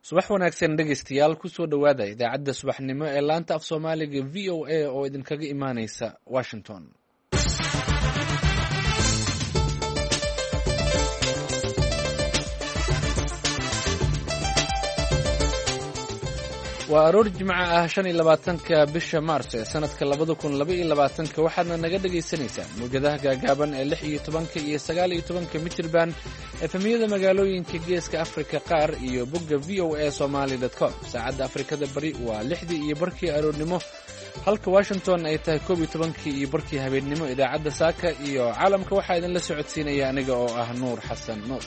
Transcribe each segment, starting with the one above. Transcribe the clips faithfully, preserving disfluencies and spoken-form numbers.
Subax wanaagsan dhegeystayaal, kusoo dhowaada idaacadda subaxnimo ee laanta af Soomaaliga V O A oo idinkaga imaaneysa Washington. Waa aroor Jimco ah, shan iyo labaatanka bisha Maarso ee sanadka labada kun laba iyo labaatanka. Waxaadna naga dhagaysanaysaan mawjadaha gaagaaban ee lix iyo tobanka iyo sagaal iyo tobanka mitirban, efemiyada magaalooyinka Geeska Afrika qaar iyo bogga V O A Somali com. Saacadda Afrikada Bari waa lixdii iyo barkii aroornimo, halka Washington ay tahay koob iyo tobankii iyo barkii habeennimo. Idaacadda saaka iyo caalamka waxaa idinla socodsiinaya aniga oo ah Nuur Xasan Nuur.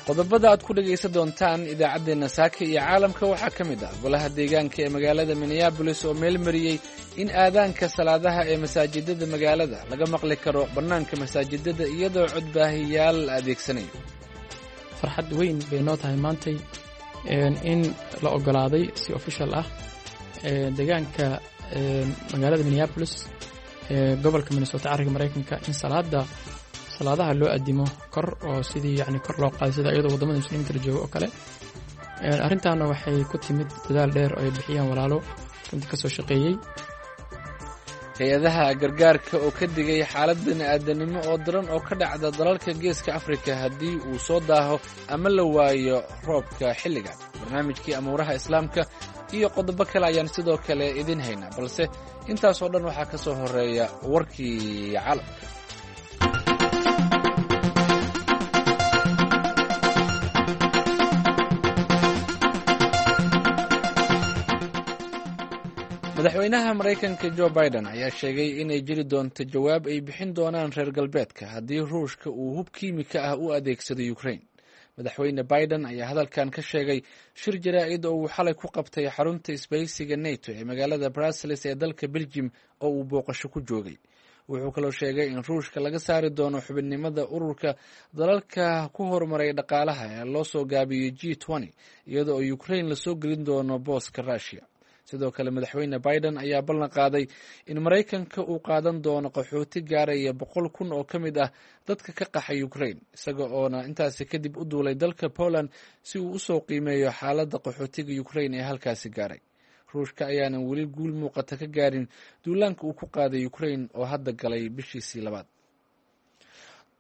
Qodobada aad ku dhegaysan doontaan idaacaddeenna saaka iyo caalamka waxaa ka mid ah golaha deegaanka ee magaalada Minneabolis oo meel mariyey in aadaanka salaadaha ee masaajidada magaalada laga maqli karo bannaanka masaajidada iyadoo codbaahiyaal la adeegsanayo. Farxad weyn bay noo tahay maantay in la ogolaaday si official ah deegaanka magaalada Minneabolis ee gobolka Minnesota, carriga Maraykanka, in salaada salaadaha loo addimo kor oo sidii yani kor loo qaaday sida iyadoo waddamada muslimiinta la joogo oo kale. Arrintaana waxay ku timid dadaal dheer oo ay bixiyaan walaalo runtii ka soo shaqeeyey. Hay-adaha gargaarka oo ka digay xaalad bini-aadanimo oo daran oo ka dhacda dalalka Geeska Afrika haddii uu soo daaho ama la waayo roobka xilligan. Barnaamijkii amuuraha Islaamka iyo qodobo kale ayaan sidoo kale idin haynaa, balse intaasoo dhan waxaa ka soo horeeya warkii caalamka. Madaxweynaha Maraykanka Jo Biden ayaa sheegay inay jiri doonto jawaab ay bixin doonaan reer galbeedka haddii Ruushka uu hub kiimika ah u adeegsado Ukraine. Madaxweyne Biden ayaa hadalkan ka sheegay shir jaraa'id oo uu xalay ku qabtay xarunta isbahaysiga NATO ee magaalada Brussels ee dalka Belgium oo uu booqasho ku joogay. Wuxuu kaloo sheegay in Ruushka laga saari doono xubinnimada ururka dalalka ku horumaray dhaqaalaha ee loo soo gaabiyey G, iyadoo oo Ukraine lasoo gelin doono booska Russia. Sidoo kale, Madaxweyne Biden ayaa ballan qaaday in Maraykanka uu qaadan doono qaxooti gaaraya boqol kun oo ka mid ah dadka ka qaxay Ukraine, isaga oona intaasi kadib u duulay dalka Poland si uu usoo qiimeeyo xaaladda qaxootiga Ukraine ee halkaasi gaaray. Ruushka ayaanan weli guul muuqata ka gaarin duulaanka uu ku qaaday Ukraine oo hadda galay bishiisii labaad.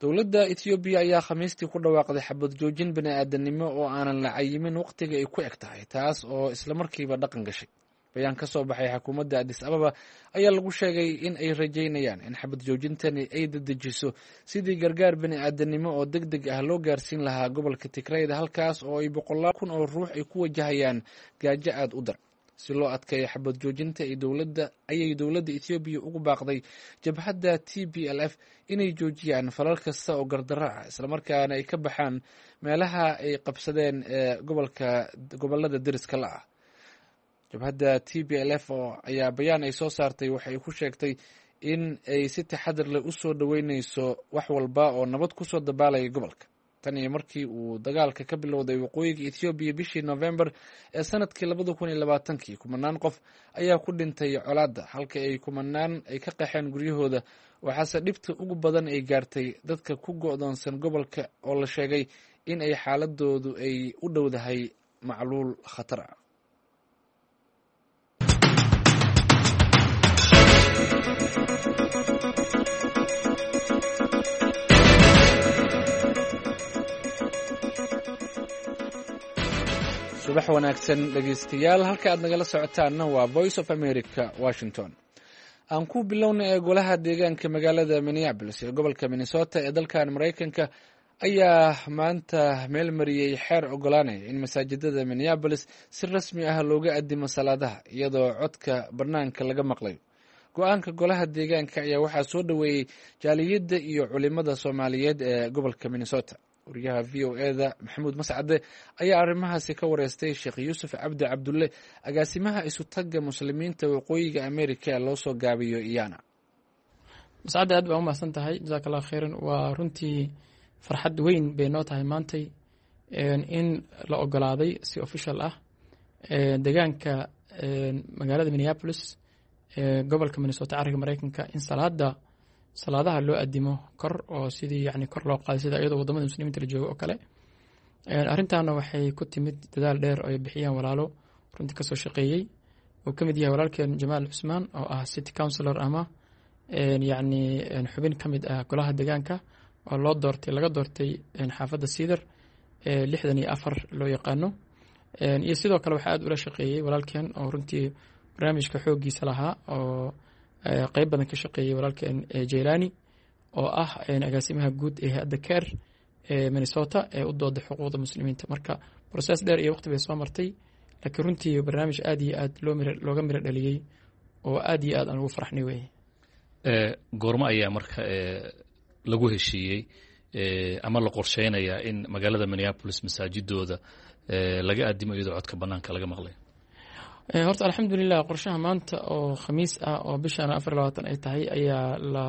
Dowladda Etoobiya ayaa Khamiistii ku dhawaaqday xabad joojin bini-aadanimo oo aanan la cayimin waqtiga ay ku eg tahay, taas oo islamarkiiba dhaqan gashay. Bayaan ka soo baxay xukuumadda Addis Ababa ayaa lagu sheegay in ay rajaynayaan in xabad joojintani ay dedejiso sidii gargaar bini-aadanimo oo deg deg ah loo gaarsiin lahaa gobolka Tigrayda, halkaas oo ay boqolaal kun oo ruux ay ku wajahayaan gaajo aada u dar. Si loo adkeeyo xabad joojinta ay dowladda ayay dowladda Etoobiya ugu baaqday jabhadda T B L F inay joojiyaan falal kasta oo gardarro ah, islamarkaana ay ka baxaan meelaha ay qabsadeen ee gobolka gobolada deriska la ah. Jabhadda T B L F oo ayaa bayaan ay soo saartay waxay ku sheegtay in ay si taxadar leh usoo dhoweyneyso wax walba oo nabad kusoo dabaalaya gobolka. Tan iyo markii uu dagaalka ka bilowday waqooyiga Ethoobiya bishii Novembar ee sanadkii labada kun iyo labaatankii, kumanaan qof ayaa ku dhintay colaadda, halka ay kumanaan ay ka qaxeen guryahooda. Waxaase dhibta ugu badan ay gaartay dadka ku go'doonsan gobolka oo la sheegay in ay xaaladoodu ay u dhowdahay macluul khatar ah. Subax wanaagsan dhegeystayaal, halka aad nagala socotaanna waa Voice of America, Washington. Aan ku bilowna ee golaha deegaanka magaalada Minneabolis ee gobolka Minnesota ee dalkan Maraykanka ayaa maanta meel mariyey xeer ogolaanaya in masaajidada Minneabolis si rasmi ah looga addimo salaadaha iyadoo codka bannaanka laga maqlayo. Go-aanka golaha deegaanka ayaa waxaa soo dhoweeyey jaaliyadda iyo culimada Soomaaliyeed ee gobolka Minnesota. Wariyaha V O E da Maxamuud Mascade ayaa arrimahaasi ka wareystay Sheekh Yuusuf Cabdi Cabdulle, agaasimaha isutagga muslimiinta waqooyiga America ee loo soo gaabiyo Iyana. Mascade, aad baa u mahadsan tahay, jazaak Allah khayran. Waa runtii farxad weyn bay noo tahay maantay in la ogolaaday si official ah deegaanka magaalada Minneabolis Gobolka Minnesota, cariga Mareykanka, in salaada salaadaha loo adimo kor oo sidii yani kor loo qaaday, sida iyadoo wadamada muslimiinta la joogo oo kale. Arrintaana waxay ku timid dadaal dheer oo ay bixiyaan walaalo runtii kasoo shaqeeyey, uu ka mid yahay walaalkeen Jamaal Cusmaan oo ah city councilor ama yacni xubin ka mid ah golaha deegaanka oo loo doortay, laga doortay xaafadda Cedar ee lixdan iyo afar loo yaqaano. Iyo sidoo kale waxaa aad ula shaqeeyey walaalkeen oo runtii barnaamijka xooggiisa lahaa oo qeyb badan ka shaqeeyey, walaalkeen Jaylani oo ah agaasimaha guud ee hay-adda CAIR ee Minnesota ee u dooda xuquuqda muslimiinta. Marka process dheer iyo waqti bay soo martay, laakiin runtii barnaamij aad iyo aad loo mir looga miro dhaliyey oo aad iyo aad aan ugu faraxnay weye. Goormo ayaa marka lagu heshiiyey ama la qorsheynayaa in magaalada Minneapolis masaajidooda laga addimo iyadoo codka banaanka laga maqlay? Horta alxamdulilah, qorshaha maanta oo Khamiis ah oo bishaan afar labaatan ay tahay ayaa la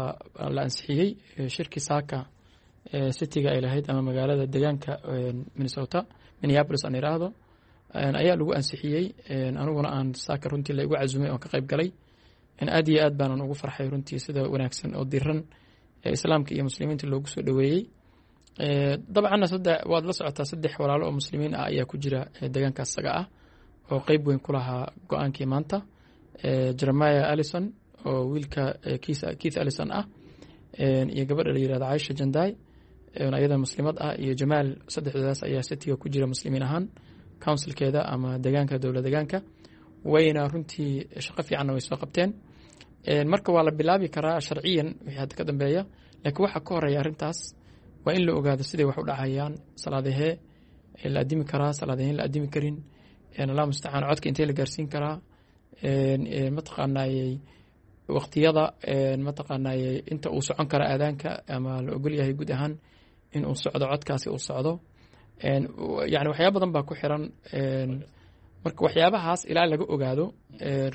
la ansixiyey. Shirkii saaka cityga ay lahayd ama magaalada deegaanka Minnesota, Minneapolis aan iraahdo, ayaa lagu ansixiyey. Aniguna aan saaka runtii la igu casumay oon ka qayb galay. Aad iyo aad baanan ugu farxay runtii sida wanaagsan oo diran ee islaamka iyo muslimiinta loogu soo dhoweeyey. Dabcanna saddex waad la socotaa, saddex walaalo oo muslimiin ah ayaa ku jira deegaankaas isaga ah oo qeyb weyn ku lahaa go-aankii maanta: Jeremiah Allison oo wiilka Keith Allison ah, iyo gabadha la yirahdo Caisha Janday ayada muslimad ah, iyo Jamaal. Saddexdoodaas ayaa cityga ku jira muslimiin ahaan, councilkeeda ama deegaanka, dowla deegaanka. Wayna runtii shaqo fiicanna way soo qabteen. Marka waa la bilaabi karaa sharciyan wixii hadda ka dambeeya, laakiin waxaa ka horeeya arrintaas waa in la ogaado siday wax u dhacayaan, salaadahee la addimi karaa, salaadaheen la addimi karin, Allah mustacaan, codka intee la gaarsiin karaa, mataqaanayey waqtiyada, mataqaanayey inta uu socon kara aadaanka ama la ogol yahay guud ahaan in uu socdo, codkaasi uu socdo. Yani waxyaaba badan baa ku xiran. Marka waxyaabahaas ilaa laga ogaado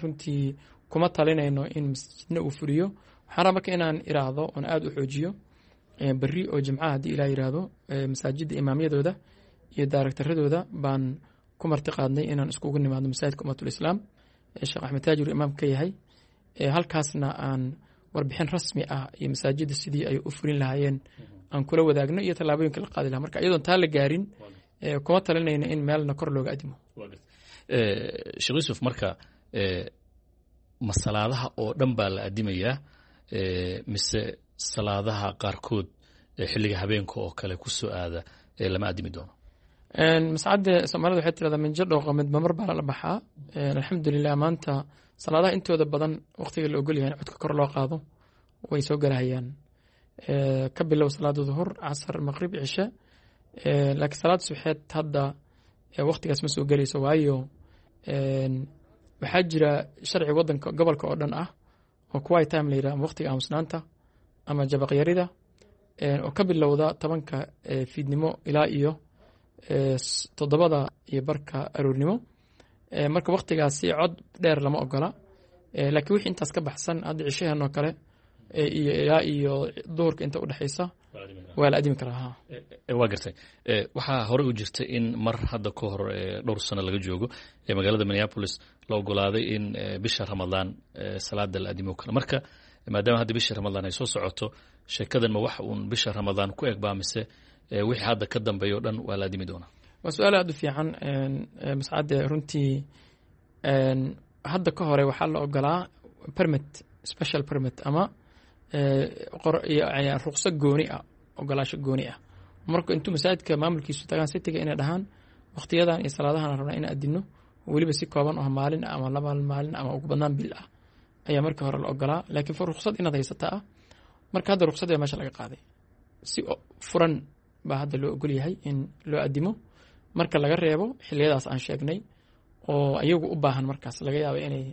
runtii kuma talinayno in masjidna uu fuliyo. Waxaan rabaa marka inaan iraahdo oon aada u xoojiyo, berri oo Jimcaha haddii Ilaah yiraahdo, masaajidda imaamyadooda iyo daaragtaradooda baan ku marti qaadnay inaan iskugu nimaadno masaajidka Ummatul Islaam ee Sheekh Axmed Taajir imaam ka yahay, halkaasna aan warbixin rasmi ah iyo masaajidda sidii ay u fulin lahaayeen aan kula wadaagno iyo tallaabooyinka la qaadi lahaa. Marka iyadoon taa la gaarin kuma talinayno in meelna kor looga adimo. Sheekh Yuusuf, marka ma salaadaha oo dhan baa la adimayaa mise salaadaha qaarkood xilliga habeenka oo kale ku soo aada lama adimi doono? Mascadde, Soomaalida waxay tirahdaa minjo dhooqa midba mar baa lala baxaa. Alxamdulilah, maanta salaadaha intooda badan waqtiga la ogol yahay in codka kor loo qaado way soo galahayaan, ka bilow salaada duhur, casar, maqrib, cishe. Laakiin salaada suxeed hadda waqtigaas ma soo gelayso, waayo waxaa jira sharci wadanka gobolka oo dhan ah oo quiet time la yidhaha ama waqtiga aamusnaanta ama jabaqyarida oo ka bilowda tobanka fiidnimo ilaa iyo toddobada iyo barka aroornimo. Marka waqtigaasi cod dheer lama ogola, laakiin wixii intaas ka baxsan, hadda cishaheen oo kale iyo ilaa iyo duhurka inta udhexaysa, waa la adimi karaa ha. Waa gartay. Waxaa horey u jirtay in mar hadda ka hor dhowr sano laga joogo magaalada Minneapolis la ogolaaday in bisha Ramadaan salaada la adimo karo. Marka maadaama hadda bisha Ramadaan ay soo socoto, sheekadan ma wax uun bisha Ramadaan ku eg baa mise wixii hadda ka dambeeya o dhan waa la adimi doonaa? Waa su-aal aada u fiican, Mascade. Runtii hadda ka hore waxaa la ogolaa permit, special permit ama ruqso gooni ah, ogolaasho gooni ah. Marka intuu masaajidka maamulkiisu tagaan cityga inay dhahaan waqtiyadan iyo salaadahan rabnaa inaan adino, weliba si kooban oo maalin ah ama laba maalin ama ugu badnaan bil ah, ayaa markii hore la ogolaa, laakiin ruqsad inaad haysataa ah. Marka hadda ruqsad baa meesha laga qaaday, si furan baa hadda loo ogol yahay in loo adimo, marka laga reebo xiliyadaas aan sheegnay oo iyagu u baahan markaas laga yaaba inay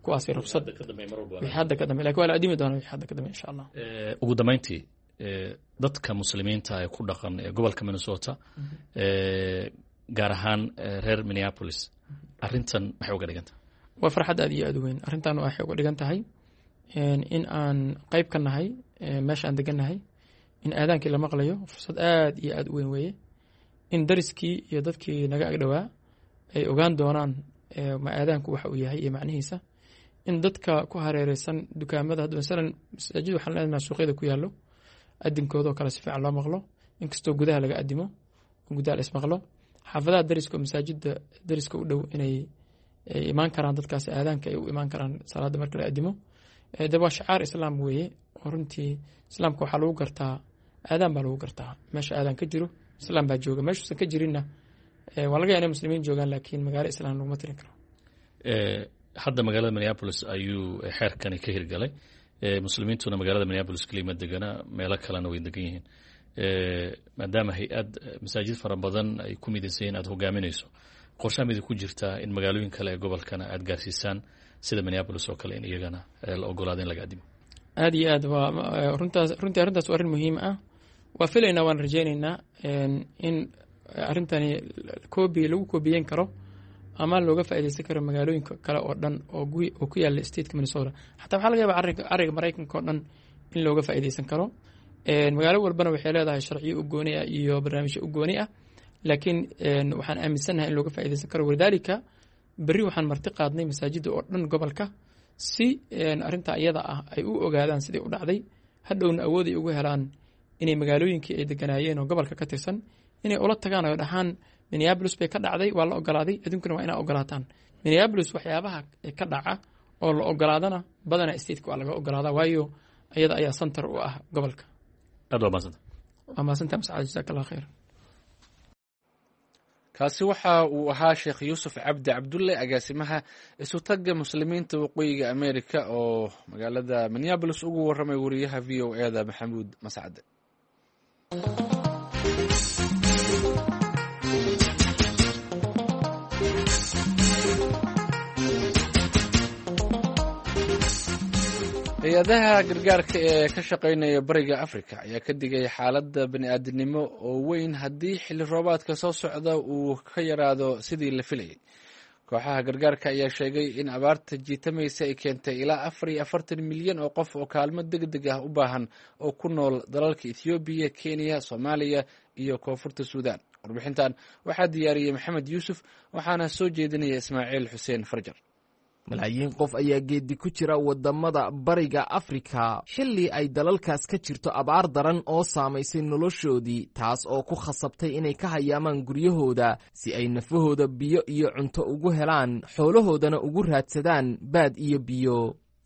kuwaasi ruqsad wixii hadda ka dambe, lakin waa la adimi doonaa wixii hadda ka dambe insha Allah. Ugu dambeyntii, dadka muslimiinta ee ku dhaqan ee gobolka Minnesota, gaar ahaan reer Minneapolis, arrintan maxay uga dhigan tahay? Waa farxad aad iyo aad u weyn. Arrintan waxay uga dhigan tahay in aan qayb ka nahay meesha aan degannahay in aadaankii la maqlayo. Fursad aad iyo aad u weyn weeye in dariskii iyo dadkii naga agdhowaa ay ogaan doonaan ma aadaanku waxa uu yahay iyo macnihiisa. In dadka ku hareereysan dukaamada hadda, masalan masaajid waxaan leenahay suuqyada ku yaallo, adinkoodoo kale si fiican loo maqlo, inkastoo gudaha laga adimo, gudaha la ismaqlo. Xaafadaha dariska oo masaajida dariska u dhow inay imaan karaan dadkaas aadaanka ay u imaan karaan salaada marka la adimo. De waa shacaar islaam weeye, oo runtii islaamka waxaa lagu gartaa aadaan baa lagu gartaa. Meesha aadaan ka jiro islaam baa jooga, meeshuusan ka jirinna waa laga yaa inay muslimiin joogaan, laakiin magaalo islaam laguma tirin karo. Hadda magaalada Minneapolis ayuu xeerkani ka hirgalay. Muslimiintuna magaalada Minneapolis keliya ma degana, meelo kalena way degan yihiin. Maadaama hay-ad masaajid fara badan ay ku midaysan yihin aad hogaaminayso, qorshaha midi ku jirtaa in magaalooyin kale ee gobolkana aad gaarsiisaan sida Minneapolis oo kale, in iyagana la ogolaado in laga adimo? Aada iyo aad waa runtaas. Runtii arrintaas waa arrin muhiim ah. Waa filaynaa, waan rajaynaynaa in arrintani koobi lagu koobiyeyn karo ama looga faaideysan karo magaalooyinka kale oo dhan oo oo ku yaala stateka Minnesota. Xataa waxaa laga yaaba ariga cariga Maraykanka oo dhan in looga faaideysan karo. Magaalo walbana waxay leedahay sharciyo u gooni ah iyo barnaamijyo u gooni ah, laakiin waxaan aaminsannahay in looga faaideysan karo. Walidaalika berri waxaan marti qaadnay masaajidda oo dhan gobolka si arrintaa iyada ah ay u ogaadaan sidai u dhacday, hadhowna awood ay ugu helaan inay magaalooyinkii ay deganaayeen oo gobolka ka tirsan inay ula tagaan oo dhahaan: "Minneapolis bay ka dhacday, waa la ogolaaday, adduunkuna waa inaa ogolaataan." Minneapolis waxyaabaha ka dhaca oo la ogolaadana badanaa stateka waa laga ogolaadaa, waayo iyada ayaa center u ah gobolka. Aad waa mahadsanta. Waa mahadsantaha Mascad, jazaak Allah khayr. Kaasi waxa uu ahaa Sheekh Yuusuf Cabdi Cabdulle, agaasimaha isutagga Muslimiinta Waqooyiga America, oo magaalada Minneapolis ugu warramay wariyaha V O E da Maxamuud Mascade. Hay-adaha gargaarka ee ka shaqeynaya Bariga Africa ayaa ka digay xaaladda bani-aadinimo oo weyn haddii xilli roobaadka soo socda uu ka yaraado sidii la filayay. Kooxaha gargaarka ayaa sheegay in abaarta jiitamaysa ay keentay ilaa afar iyo afartan milyan oo qof oo kaalmo deg deg ah u baahan oo ku nool dalalka Ethoobiya, Kenya, Soomaaliya iyo Koonfurta Suudan. Warbixintan waxaa diyaariyey Maxamed Yuusuf, waxaana soo jeedinaya Ismaaciil Xuseen Farjar. Malaayiin qof ayaa geeddi ku jira waddamada Bariga Afrika xilli ay dalalkaas ka jirto abaar daran oo saamaysay noloshoodii, taas oo ku khasabtay inay ka hayaamaan guryahooda si ay nafahooda biyo iyo cunto ugu helaan, xoolahoodana ugu raadsadaan baad iyo biyo.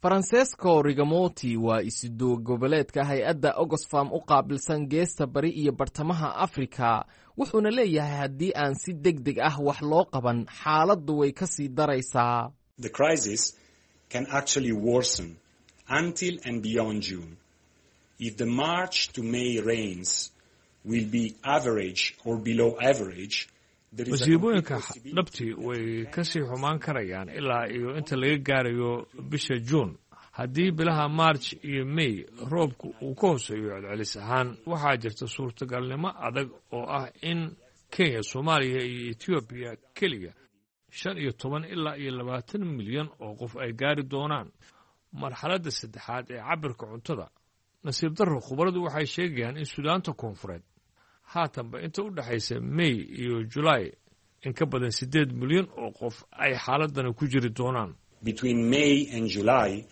Francesco Rigamoti waa isuduwa goboleedka hay-adda Oxfam u qaabilsan geesta bari iyo bartamaha Afrika, wuxuuna leeyahay haddii aan si deg deg ah wax loo qaban, xaaladdu way ka sii daraysaa. The crisis can actually worsen until and beyond June. If the March to May rains will be average or below average, Masiibooyinka dhabtii way ka sii xumaan karayaan ilaa iyo inta laga gaarayo bisha Juun. Haddii bilaha March iyo May roobku uu ka hooseeyo celcelis ahaan, waxaa jirta suurtagalnimo adag oo ah in Kenya, Soomaaliya iyo Etoobiya keliya shan iyo toban ilaa iyo labaatan milyan oo qof ay gaari doonaan marxaladda saddexaad ee cabirka cuntada. Nasiib darro, khubaradu waxay sheegayaan in Suudaanta Koonfureed haatanba inta u dhexaysa May iyo Julaay in ka badan siddeed milyan oo qof ay xaaladani ku jiri doonaan. Between May and July,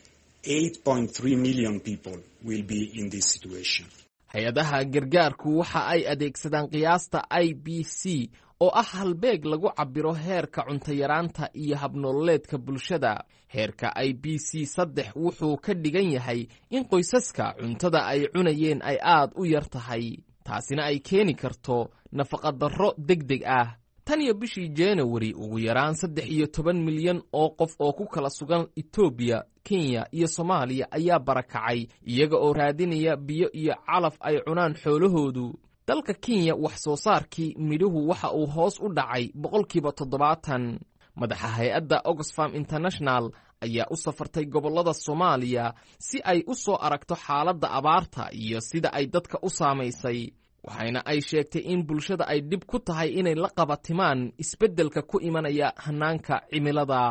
eight point three million people will be in this situation. Hay-adaha gargaarku waxa ay adeegsadaan qiyaasta I B C oo ah halbeeg lagu cabbiro heerka cuntayaraanta iyo habnololeedka bulshada. Heerka I B C saddex wuxuu ka dhigan yahay in qoysaska cuntada ay cunayeen ay aad u yar tahay, taasina ay keeni karto nafaqadarro deg deg ah. Tan iyo bishii Janawari, ugu yaraan saddex iyo toban milyan oo qof oo ku kala sugan Etoobiya, Kenya iyo Soomaaliya ayaa barakacay, iyaga oo raadinaya biyo iyo calaf ay cunaan xoolahoodu. Dalka Kenya wax soo saarkii midhuhu waxa uu hoos u dhacay boqolkiiba toddobaatan. Madaxa hay-adda Oxfam International ayaa u safartay gobollada Soomaaliya si ay u soo aragto xaaladda abaarta iyo sida ay dadka u saamaysay, waxayna ay sheegtay in bulshada ay dhib ku tahay inay la qabatimaan isbeddelka ku imanaya hannaanka cimilada.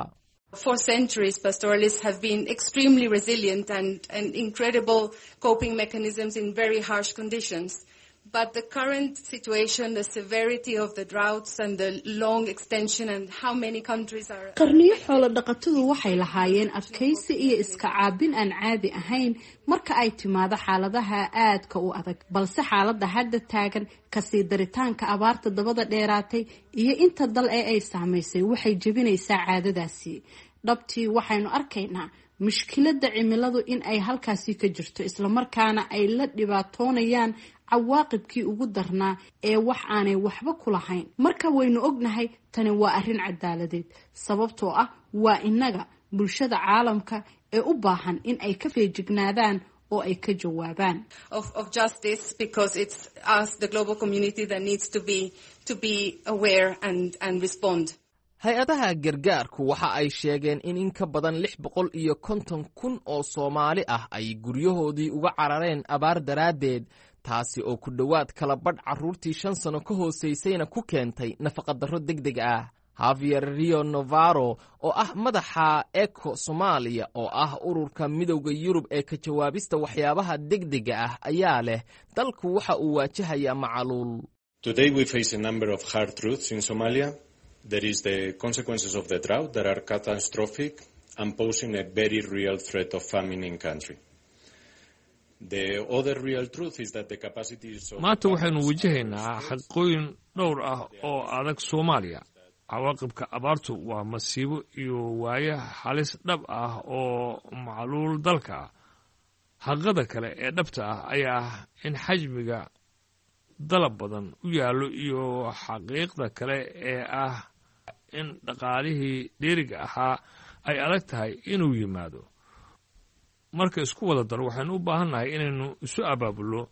For centuries, pastoralists have been extremely resilient and, and incredible coping mechanisms in very harsh conditions. But the current situation, the severity of the droughts and the long extension and how many countries are... Qarniyo xoolo dhaqatadu waxay lahaayeen adkaysi iyo iska caabin aan caadi ahayn marka ay timaado xaaladaha aadka u adag, balse xaaladda hadda taagan, kasii daritaanka abaarta dabada dheeraatay iyo inta dal ee ay saamaysay waxay jebinaysaa caadadaasi. Dhabtii waxaynu arkaynaa mushkiladda cimiladu in ay halkaasi ka jirto, islamarkaana ay la dhibaatoonayaan cawaaqibkii ugu darnaa ee wax aanay waxba ku lahayn. Marka waynu ognahay tani waa arrin cadaaladeed, sababtoo ah waa innaga bulshada caalamka ee u baahan in ay ka feejignaadaan oo ay ka jawaabaan. of, of justice, because it's us, the global community, that needs to be, to be aware and, and respond. Hay-adaha gargaarku waxa ay sheegeen in in ka badan lix boqol iyo konton kun oo Soomaali ah ay guryahoodii uga carareen abaar daraaddeed, taasi oo ku dhowaad kala badh carruurtii shan sano ka hoosaysayna ku keentay nafaqadarro deg deg ah. Javier Rio Novaro oo ah madaxa ECHO Soomaaliya, oo ah ururka Midowda Yurub ee ka jawaabista waxyaabaha degdega ah, ayaa leh dalku waxa uu waajahayaa macaluul. Today we face a number of hard truths in Somalia. There is the consequences of the drought that are catastrophic and posing a very real threat of famine in country. The other real truth is that the capacities of Maanta waxaynu wajahaynaa xaqiiqooyin dhowr ah oo adag Soomaaliya. Cawaaqibka abaartu waa masiibo iyo waaye halis dhab ah oo macluul dalka ah. Xaqiiqada kale ee dhabta ah ayaa ah in xajmiga dalab badan u yaallo, iyo xaqiiqda kale ee ah in dhaqaalihii dheeriga ahaa ay adag tahay inuu yimaado. Marka isku wada daro, waxaynu u baahannahay inaynu isu abaabulno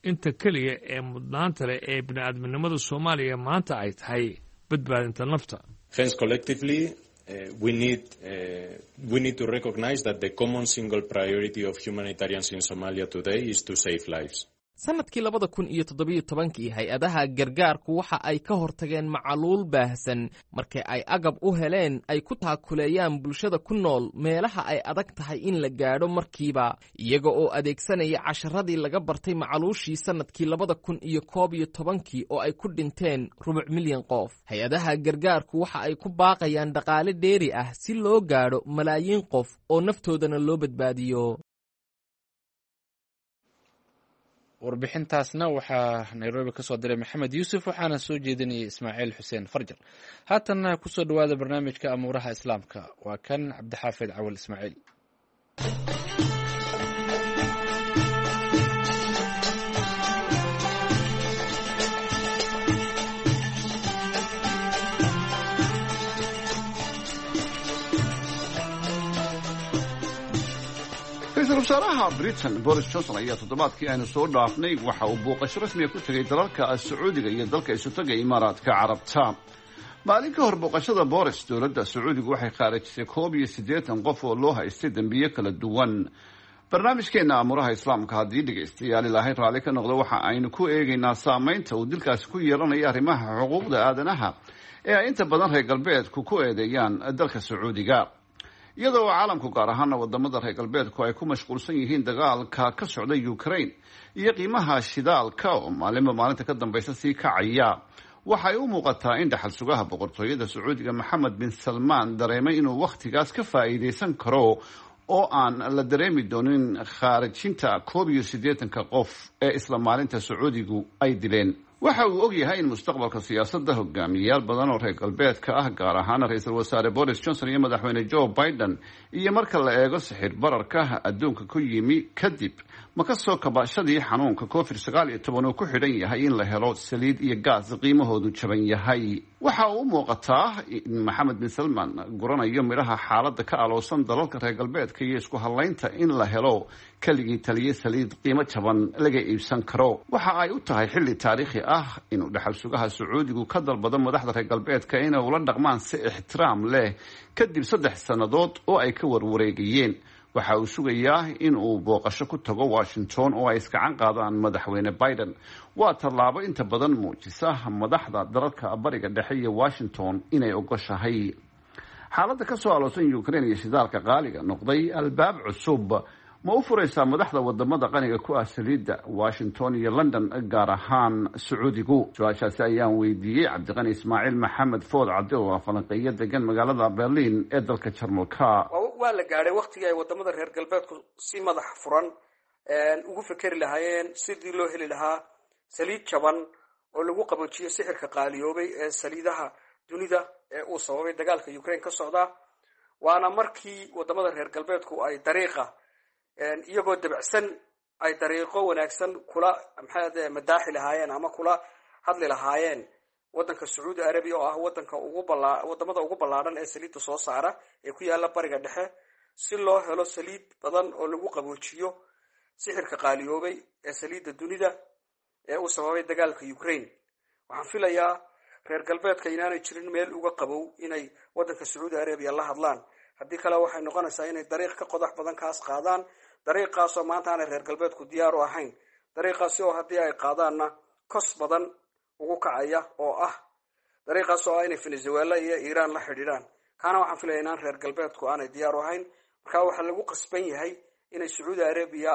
inta keliya ee mudnaanta leh ee bini'aadminimada Soomaaliya maanta ay tahay badbaadinta nafta. Hence, collectively, uh, we need uh, we need to recognize that the common single priority of humanitarians in Somalia today is to save lives. Sannadkii labada kun iyo toddobiyo tobankii hay-adaha gargaarku waxa ay ka hortageen macaluul baahsan markii ay agab u heleen ay ku taakuleeyaan bulshada ku nool meelaha ay adag tahay in la gaadho markiiba, iyaga oo adeegsanaya casharadii laga bartay macaluushii sannadkii labada kun iyo koob iyo tobankii oo ay ku dhinteen rubuc milyan qof. Hay-adaha gargaarku waxa ay ku baaqayaan dhaqaale dheeri ah si loo gaadho malaayiin qof oo naftoodana loo badbaadiyo. Warbixintaasna waxaa Nairobi ka soo diray Maxamed Yuusuf, waxaana soo jeedinayay Ismaaciil Xuseen Farjar. Haatanna kusoo dhowaada barnaamijka amuuraha Islaamka. Waa kan Cabdixaafid Cawal Ismaaciil. Ra-iisul wasaaraha Britain Boris Johnson ayaa toddobaadkii aynu soo dhaafnay waxa uu booqasho rasmiga ku tegay dalalka Sacuudiga iyo dalka Isutaga Imaaraadka Carabta. Maalin ka hor booqashada Boris, dowladda Sacuudigu waxay khaarijisay koob iyo siddeetan qof oo loo haystay dembiyo kala duwan. Barnaamijkeena Amuuraha Islaamka, haddii dhegaystayaal Ilaahay raalli ka noqdo, waxa aynu ku eegaynaa saameynta uu dilkaasi ku yeelanayo arrimaha xuquuqda aadanaha ee ay inta badan reer galbeedku ku eedeeyaan dalka Sacuudiga, iyadoo caalamku, gaar ahaana wadamada reer galbeedku, ay ku mashquulsan yihiin dagaalka ka socda Ukraine iyo qiimaha shidaalka oo maalinba maalinta ka dambaysa sii kacaya. Waxay u muuqataa in dhaxal sugaha boqortooyada Sacuudiga Maxamed bin Salmaan dareemay inuu wakhtigaas ka faa'iidaysan karo oo aan la dareemi doonin khaarijinta koob iyo siddeetanka qof ee isla maalinta Sacuudigu ay dileen. Waxa uu og yahay in mustaqbalka siyaasadda hogaamiyeyaal badan oo reer galbeedka ah, gaar ahaana ra-iisul wasaare Boris Johnson iyo madaxweyne Joe Biden, iyo marka la eego sixir bararka adduunka ku yimi kadib ma ka soo kabashadii xanuunka Covid sagaal iyo toban, uu ku xidhan yahay in la helo saliid iyo gaas qiimahoodu jaban yahay. Waxa uu u muuqataa in Maxamed bin Salman guranayo midhaha xaaladda ka aloosan dalalka reer galbeedka iyo isku hadlaynta in la helo keligii taliye saliid qiimo jaban laga iibsan karo. Waxa ay u tahay xilli taariikhi ah inuu dhaxal sugaha Sacuudigu ka dalbado madaxda reer galbeedka inay ula dhaqmaan si ixtiraam leh kadib saddex sannadood oo ay ka warwareegayeen. Waxa uu sugayaa in uu booqasho ku tago Washington oo ay iskacan qaadaan madaxweyne Biden. Waa tallaabo inta badan muujisa madaxda dalalka Bariga Dhexe iyo Washington inay ogoshahay xaaladda ka soo aloosan Ukraine iyo shidaalka qaaliga noqday albaab cusub. Ma u furaysaa madaxda wadamada qaniga ku ah saliidda, Washington iyo London, gaar ahaan Sacuudigu? Su-aashaasi ayaan weydiiyey Cabdiqani Ismaaciil Maxamed Food Cabdi, oo ah falanqeeyo degan magaalada Berlin ee dalka Jarmalka. Waa la gaadhay waktigii ay wadamada reer galbeedku si madax furan ugu fekeri lahaayeen sidii loo heli lahaa saliid jaban oo lagu qaboojiyo sixirka qaaliyoobay ee saliidaha dunida ee uu sababay dagaalka Ukraine ka socda. Waana markii wadamada reer galbeedku ay dariiqa iyagoo dabacsan ay dariiqo wanaagsan kula maxaa madaaxi lahaayeen ama kula hadli lahaayeen wadanka Sacuudi Arabiya, oo ah wadanka ugu balaa wadamada ugu ballaadhan ee saliidda soo saara ee ku yaala Bariga Dhexe, si loo helo saliid badan oo lagu qaboojiyo sixirka qaaliyoobay ee saliidda dunida ee uu sababay dagaalka Ukraine. Waxaan filayaa reer galbeedka inaanay jirin meel uga qabow inay wadanka Sacuudi Arabiya la hadlaan. Haddii kale waxay noqonaysaa inay dariiq ka qodax badan kaas qaadaan, dariiqaasoo maanta aanay reer galbeedku diyaar u ahayn, dariiqaasi oo haddii ay qaadaanna kos badan ugu kacaya, oo ah dariiqaas oo ah inay Venezuela iyo Iiraan la xidhiidhaan. Kaana waxaan filaya inaan reer galbeedku aanay diyaar u ahayn. Marka waxaa lagu qasban yahay inay Sacuudi Arabiya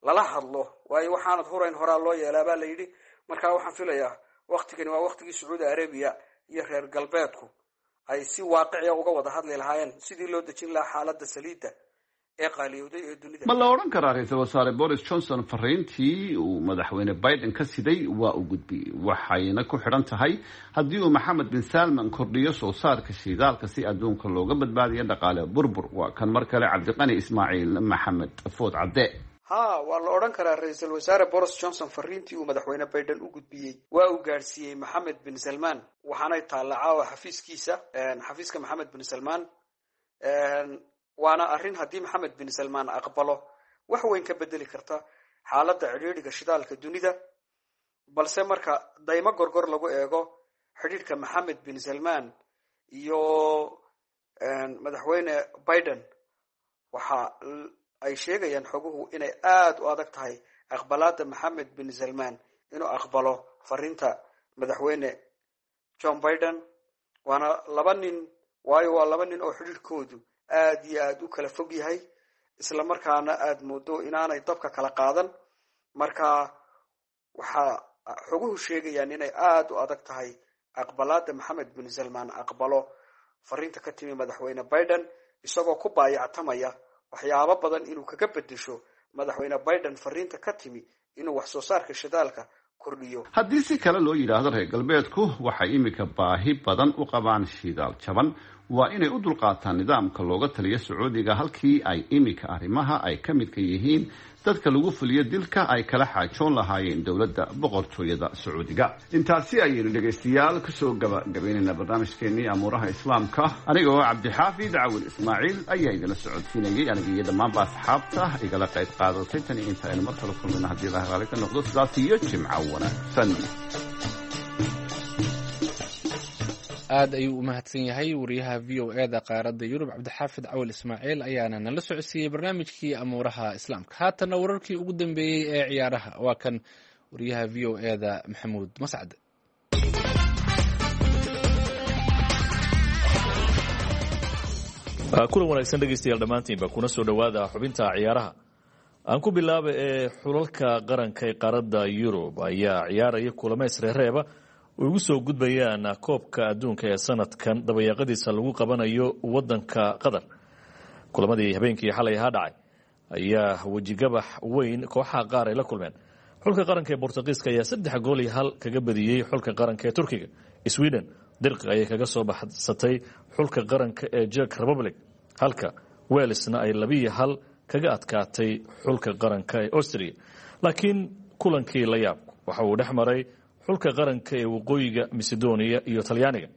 lala hadlo, waayo waxaanad hurayn horaa loo yeelaa baa la yidhi. Marka waxaan filayaa waktigani waa waktigii Sacuudi Arabiya iyo reer galbeedku ay si waaqiciya uga wada hadli lahaayeen sidii loo dejin lahaa xaaladda saliidda ee qaaliyowday ee dunida. Ma la odhan karaa ra-iisul wasaare Boris Johnson fariintii uu madaxweyne Biden ka siday waa u gudbiyey, waxayna ku xidhan tahay haddii uu Maxamed bin Salman kordhiyo soo saarka shidaalka si adduunka looga badbaadiyo dhaqaale burbur? Waa kan mar kale Cabdiqani Ismaaciil Maxamed Food Cadde. Ha, waa la odhan karaa ra-iisul wasaare Boris Johnson fariintii uu madaxweyne Biden u gudbiyey waa uu gaadhsiiyey Maxamed bin Salman, waxaanay taalla caawa xafiiskiisa, xafiiska Maxamed bin Salman. Waana arrin haddii Maxamed bin Salman aqbalo wax weyn ka bedeli karta xaaladda cidhiidhiga shidaalka dunida. Balse marka daymo gorgor lagu eego xidhiidhka Maxamed bin Salman iyo madaxweyne Biden, waxa ay sheegayaan xoguhu inay aada u adag tahay aqbalaada Maxamed bin Salman inuu aqbalo fariinta madaxweyne John Biden. Waana laba nin, waayo waa laba nin oo xidhiidhkoodu aada iyo aada u kala fog yahay, isla markaana aada moodo inaanay dabka kala qaadan. Marka waxaa xoguhu sheegayaan inay aada u adag tahay aqbalaada Maxamed bin Salman aqbalo fariinta ka timi madaxweyne Biden, isagoo ku baayactamaya waxyaabo badan inuu kaga bedesho madaxweyne Biden fariinta ka timi inuu wax soo saarka shidaalka kordhiyo. Haddii si kale loo yidhaahdo, reer galbeedku waxay iminka baahi badan u qabaan shidaal jaban. Waa inay u dulqaataan nidaamka looga taliyo Sacuudiga, halkii ay iminka arrimaha ay ka midka yihiin dadka lagu fuliyo dilka ay kala xaajoon lahaayeen dowladda boqortooyada Sacuudiga. Intaasi ayaynu dhegaystayaal kusoo gabagabaynaynaa barnaamijkeenii amuuraha Islaamka. Aniga oo Cabdixaafid Cawil Ismaaciil ayaa idinla socodsiinayay, aniga iyo dhammaanba asxaabta igala qayb qaadatay. Tan iyo inta aynu mar kale kulmayno, haddii ilaha raali ka noqdo, sidaas iyo jimco wanaagsan. Aad ayuu u mahadsan yahay wariyaha V O E da qaaradda Yurub Cabdixaafid Cawil Ismaaciil ayaana nala socodsiiyey barnaamijkii amuuraha Islaamka. Haatanna wararkii ugu dambeeyey ee ciyaaraha, waa kan wariyaha V O E da Maxamuud Mascad. Kulan wanaagsan dhegaystayaal dhammaantiinba, kuna soo dhowaada xubinta ciyaaraha. Aan ku bilaaba ee xulalka qaranka ee qaaradda Yurub ayaa ciyaaraya kulamo isreereeba oo ugu soo gudbayaan koobka adduunka ee sanadkan dabayaaqadiisa lagu qabanayo wadanka Qatar. Kulamadii habeenkii xalay ahaa dhacay ayaa wejigabax weyn kooxaha qaar ay la kulmeen. Xulka qaranka ee Bortuqiiska ayaa saddex gool iyo hal kaga badiyey xulka qaranka ee Turkiga. Sweden dirqi ayay kaga soo baxsatay xulka qaranka ee Czech Republic, halka Walesna ay labiyo hal kaga adkaatay xulka qaranka ee Austria. Laakiin kulankii la yaabku waxa uu dhex maray xulka qaranka ee Waqooyiga Macedonia iyo Talyaaniga,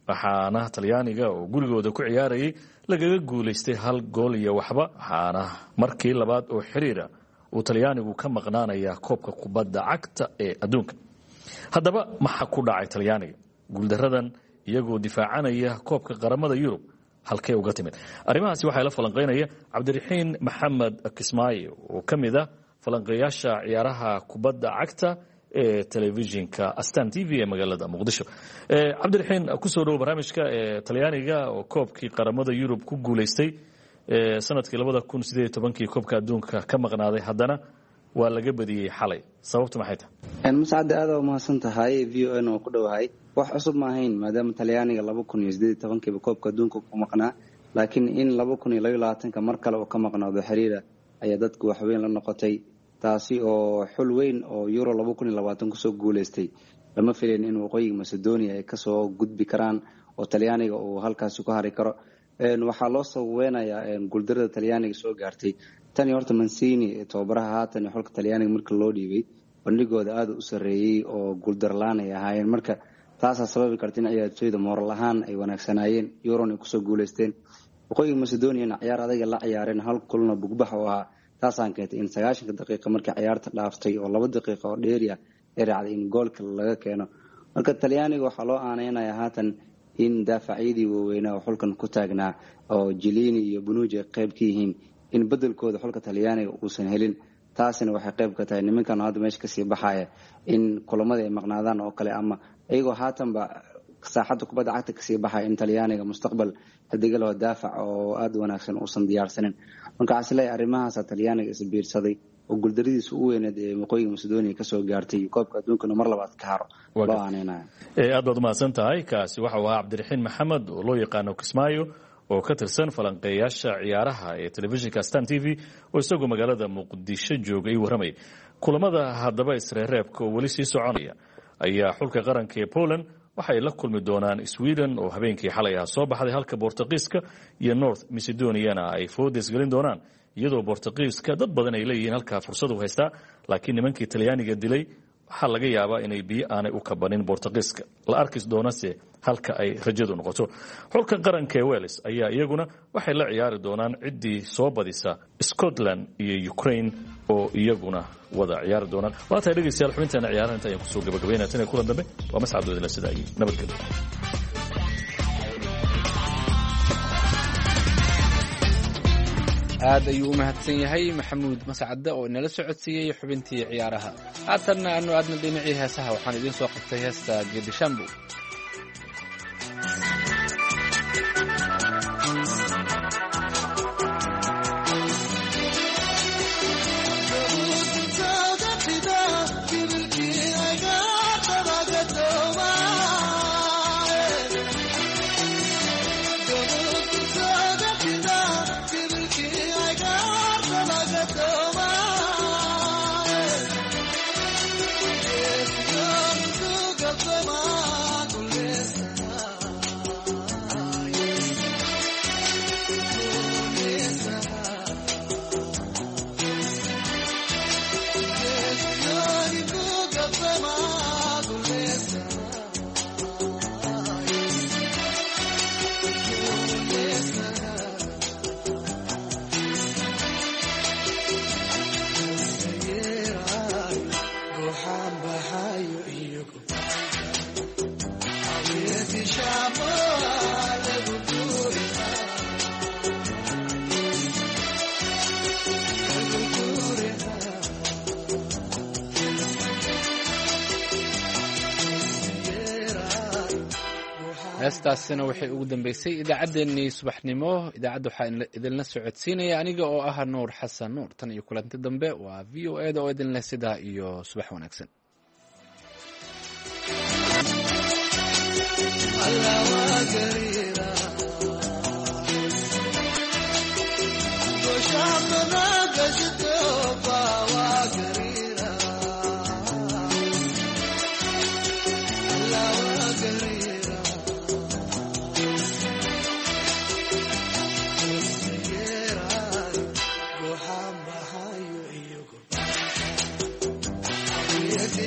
waxaana Talyaaniga oo gurigooda ku ciyaarayay lagaga guulaystay hal gool iyo waxba, waxaana markii labaad oo xiriira uu Talyaanigu ka maqnaanaya koobka kubadda cagta ee adduunka. Haddaba maxaa ku dhacay Talyaaniga guuldaradan iyagoo difaacanaya koobka qaramada Yurub? Halkee uga timid arrimahaasi? Waxaa la falanqeynaya Cabdiraxiin Maxamed Kismaayo oo ka mid ah falanqeeyaasha ciyaaraha kubadda cagta ee telefishinka Astan T V ee magaalada Muqdisho. Cabdiraxiin, kusoo dhowo barnaamijka. Ee Talyaaniga oo koobkii qaramada Yurub ku guulaystay sanadkii labada kun sideed iyo tobankii koobka adduunka ka maqnaaday haddana waa laga badiyey xalay, sababtu maxay tahay? Mascadda aada umahadsan tahay, V O N oo ku dhowahay. Wax cusub ma ahayn maadaama Talyaaniga laba kun iyo sideed iyo tobankiiba koobka adduunka ku maqnaa, laakiin in laba kun iyo labaiyo labaatanka mar kale uu ka maqnaado xiriira ayaa dadku waxweyn la noqotay, taasi oo xul weyn oo Euro laba kun iyo labaatan kusoo guuleystay lama filayn in waqooyiga Macedonia ay kasoo gudbi karaan oo Talyaaniga uu halkaasi ku hari karo. Waxaa loo sababeynayaa guuldarada Talyaaniga soo gaartay tani horta Mancini tababaraha haatan xulka Talyaaniga marka loo dhiibay bandhigooda aada u sareeyey oo guuldarlaan ay ahaayeen, marka taasaa sababi karta in ciyaartooyda mooral ahaan ay wanaagsanaayeen, Euron ay kusoo guuleysteen. Waqooyiga Macedoniana ciyaar adaga la ciyaareen, hal kulna bugbax oo ahaa, taasaan keentay in sagaashanka daqiiqa markii ciyaarta dhaaftay oo laba daqiiqa oo dheeriya ay raacday in goolka laga keeno. Marka Talyaaniga waxaa loo aaneynayaa haatan in daafacyadii waaweynaa oo xulkan ku taagnaa oo Jilini iyo Bonucci ay qayb ka yihiin in bedelkooda xulka Talyaaniga uusan helin, taasina waxay qayb ka tahay nimankan hadda meesha kasii baxaya in kulamada ay maqnaadaan oo kale, ama iyagoo haatanba saaxadda kubadda cagta kasii baxaya in Talyaaniga mustaqbal xidigaloo daafac oo aada wanaagsan uusan diyaarsanin. Marka waxaa isleeyahay arrimahaasa Talyaaniga isbiirsaday oo guuldaradiisa u weyneed ee waqooyiga Macedonia kasoo gaartay koobka adduunkana mar labaad ka haro loo aaneynayo. Aad baad umahadsan tahay. Kaasi waxa uu ahaa Cabdiraxiin Maxamed oo loo yaqaano Kismaayo oo ka tirsan falanqeeyaasha ciyaaraha ee telefishinka Stan T V oo isagoo magaalada Muqdisho joogay warramay. Kulamada haddaba isreereebka oo weli sii soconaya ayaa xulka qaranka ee Poland waxay la kulmi doonaan Sweden oo habeenkii xalay ah soo baxday, halka Bortugiiska iyo North Macedoniana ay foodes gelin doonaan, iyadoo Bortugiiska dad badan ay leeyihiin halkaa fursad u haystaa, laakiin nimankii Talyaaniga dilay waxaa laga yaabaa inay biyo aanay u kabanin Bortugiiska, la arki doonase halka ay rajadu noqoto. Xulka qaranka ee Wales ayaa iyaguna waxay la ciyaari doonaan ciddii soo badisa Scotland iyo Ukraine oo iyaguna wada ciyaari doonaan. Waa tahay dhegeystayaal, xubinteena ciyaaraha inta ayaan kusoo gabagabaynaya. Tan iyo kulan dambe waa Mascad Wadila, sida iyo nabadgelyo. Aad ayuu u mahadsan yahay Maxamuud Mascadde oo inala socodsiiyey xubintii ciyaaraha. Haatanna aanu aadna dhinacii heesaha, waxaan idiin soo qabtay heesta Geedishambo. Heestaasina waxay ugu dambeysay idaacaddeenii subaxnimo. Idaacadda waxaa idinla socodsiinaya aniga oo ah Nuur Xasan Nuur. Tan iyo kulanti dambe waa V O E da oo idinleh sidaa iyo subax wanaagsan.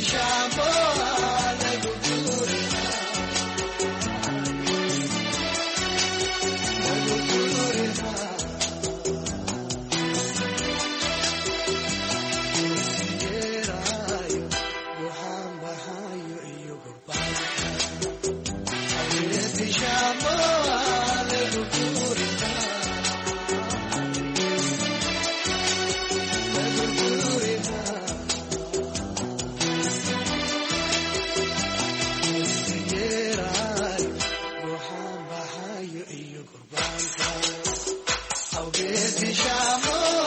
Shama.